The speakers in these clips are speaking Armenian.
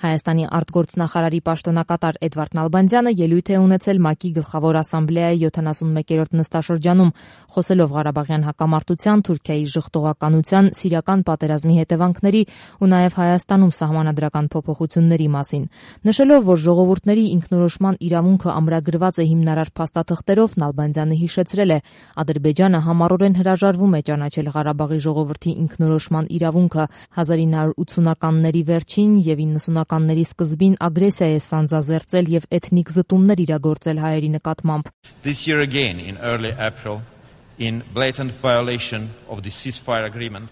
Հայաստանի արտգործնախարարի պաշտոնակատար Էդվարդ Նալբանդյանը ելույթ է ունեցել ՄԱԿ-ի գլխավոր ասամբլեայի 71-րդ նստաշրջանում, խոսելով Ղարաբաղյան հակամարտության, Թուրքիայի ժխտողականության, Սիրիական պատերազմի հետևանքների ու նաև Հայաստանում սահմանադրական փոփոխությունների մասին։ Նշելով, որ ժողովուրդների ինքնորոշման իրավունքը ամրագրված է հիմնարար փաստաթղթերով, Նալբանդյանը հիշեցրել է, Ադրբեջանը համառորեն հրաժարվում է ճանաչել Ղարաբաղի ժողովրդի ինքնորոշման իրավունքը, 1980-ականների վերջին և 90-ականների սկզբին ագրեսիա է սանձազերծել և էթնիկ զտումներ իրագործել հայերի նկատմամբ։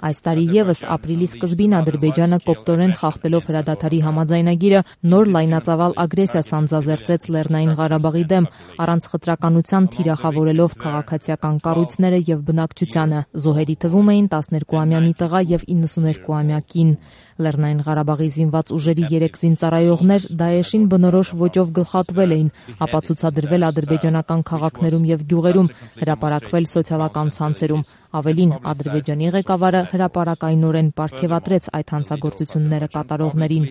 Այս տարի ևս ապրիլի սկզբին Ադրբեջանը կոպտորեն խախտելով հրադադարի համաձայնագիրը նոր լայնածավալ ագրեսիա սանձազերծեց Լեռնային Ղարաբաղի դեմ, առանց խտրականության թիրախավորելով քաղաքացիական կառույցները և բնակչությանը։ Զոհերի թվում էին 12-ամյա մի տղա և 92-ամյա կին։ Լեռնային Ղարաբաղի զինված ուժերի 3 զինծառայողներ Դաեշին բնորոշ ոճով գլխատվել էին, ապացուցադրվել ադրբեջանական քաղաքներում և գյուղերում, հրապարակվել սոցիալական ցանցերում։ Ավելին, Ադրբեջանի ղեկավարը հրապարակայնորեն պարգևատրեց այդ հանցագործությունները կատարողներին։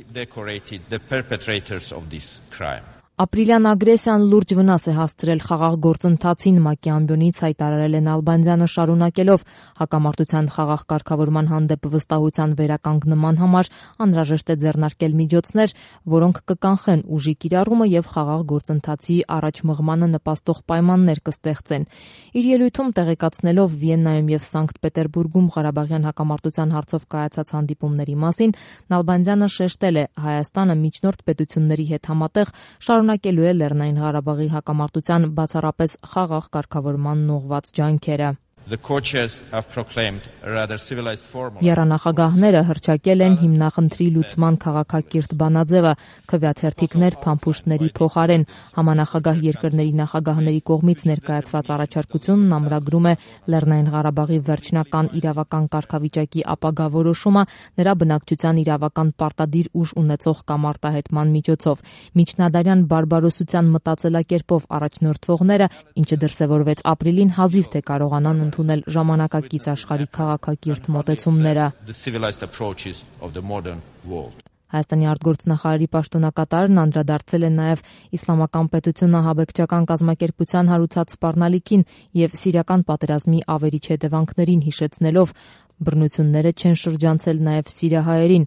Ապրիլյան ագրեսիան լուրջ վնաս է հասցրել խաղաղ գործընթացին, ՄԱԿ-ի ամբիոնից հայտարարել է Նալբանդյանը, շարունակելով հակամարտության խաղաղ կարգավորման հանդեպ վստահության վերականգնման համար անհրաժեշտ է ձեռնարկել միջոցներ, որոնք կկանխեն ուժի կիրառումը և խաղաղ գործընթացի առաջ մղմանը նպաստող պայմաններ կստեղծեն։ Իր ելույթում տեղեկացնելով Վիեննայում և Սանկտ Պետերբուրգում Ղարաբաղյան հակամարտության հարցով կայացած հանդիպումների մասին, Նալբանդյանը շեշտել է, Հայաստանը միջնորդ պետությունների հետ համատեղ շարունակելու է Լեռնային Ղարաբաղի հակամարտության բացառապես խաղաղ կարգավորմանն ուղղված ջանքերը։ Եռանախագահները հռչակել են հիմնախնդրի լուծման քաղաքակիրթ բանաձևը, քվեաթերթիկներ փամփուշտների փոխարեն։ Համանախագահ երկրների նախագահների կողմից ներկայացված առաջարկությունն ամրագրում է Լեռնային Ղարաբաղի վերջնական իրավական կարգավիճակի ապագա որոշումը նրա բնակչության իրավական պարտադիր ուժ ունեցող կամ արտահայտման միջոցով։ Միջնադարյան բարբարոսության մտածելակերպով առաջնորդվողները, ինչը դրսևորվեց ապրիլին, հազիվ թե կարողանան ընդունել ժամանակակից աշխարհի քաղաքակիրթ մոտեցումները։ Հայաստանի արտգործնախարարի պաշտոնակատարն անդրադարձել է նաև Իսլամական պետություն ահաբեկչական կազմակերպության հարուցած սպառնալիքին և Սիրիական պատերազմի ավերիչ հետևանքներին, հիշեցնելով, բռնությունները չեն շրջանցել նաև սիրիահայերին։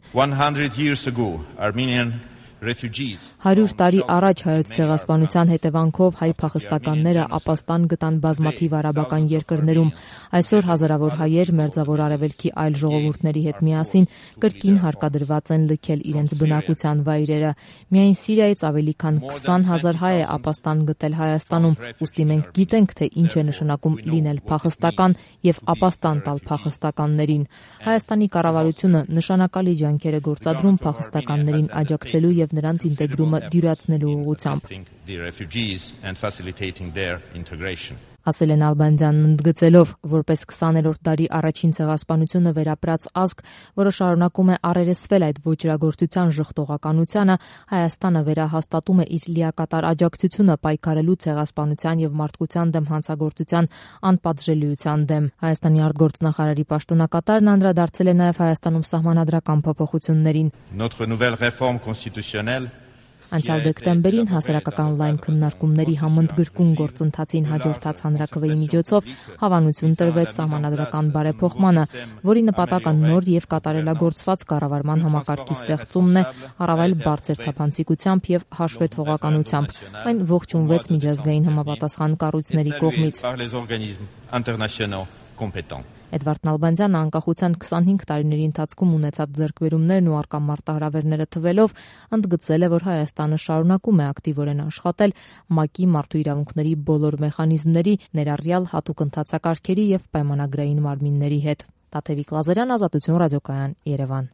100 տարի առաջ հայոց ցեղասպանության հետևանքով հայ փախստականները ապաստան գտան բազմաթիվ արաբական երկրներում։ Այսօր հազարավոր հայեր Մերձավոր Արևելքի այլ ժողովուրդների հետ միասին կրկին հարկադրված են լքել իրենց բնակության վայրերը։ Միայն Սիրիայից ավելի քան 20,000 հայ է ապաստան գտել Հայաստանում, ուստի մենք գիտենք, թե ինչ է նշանակում լինել փախստական և ապաստան տալ փախստականներին։ Հայաստանի կառավարությունը նշանակալի ջանքեր է գործադրում փախստականներին աջակցելու և նրանց ինտեգրումը դյուրացնելու ուղղությամբ, ասել է Նալբանդյանն, ընդգծելով, որպես 20-րդ դարի առաջին ցեղասպանությունը վերապրած ազգ, որը շարունակում է առերեսվել այդ ոճրագործության ժխտողականությանը, Հայաստանը վերահաստատում է իր լիակատար աջակցությունը պայքարելու ցեղասպանության և մարդկության դեմ հանցագործության անպատժելիության դեմ։ Հայաստանի արտգործնախարարի պաշտոնակատարն անդրադարձել է նաև Հայաստանում սահմանադրական փոփոխություններին։ Անցյալ դեկտեմբերին հասարակական լայն քննարկումների համընդգրկուն գործընթացին հաջորդած հանրաքվեի միջոցով հավանություն տրվեց սահմանադրական բարեփոխմանը, որի նպատակը նոր և կատարելագործված կառավարման համակարգի ստեղծումն է, առավել բարձր թափանցիկությամբ և հաշվետվողականությամբ։ Այն ողջունվեց միջազգային համապատասխան կառույցների կողմից։ Էդվարդ Նալբանդյանը անկախության 25 տարիների ընթացքում ունեցած ձեռքբերումներն ու առկա մարտահրավերները թվելով, ընդգծել է, որ Հայաստանը շարունակում է ակտիվորեն աշխատել ՄԱԿ-ի մարդու իրավունքների բոլոր մեխանիզմների, ներառյալ հատուկ ընթացակարգերի և պայմանագրային մարմինների հետ։ Տաթևիկ Լազարյան, Ազատություն ռադիոկայան, Երևան։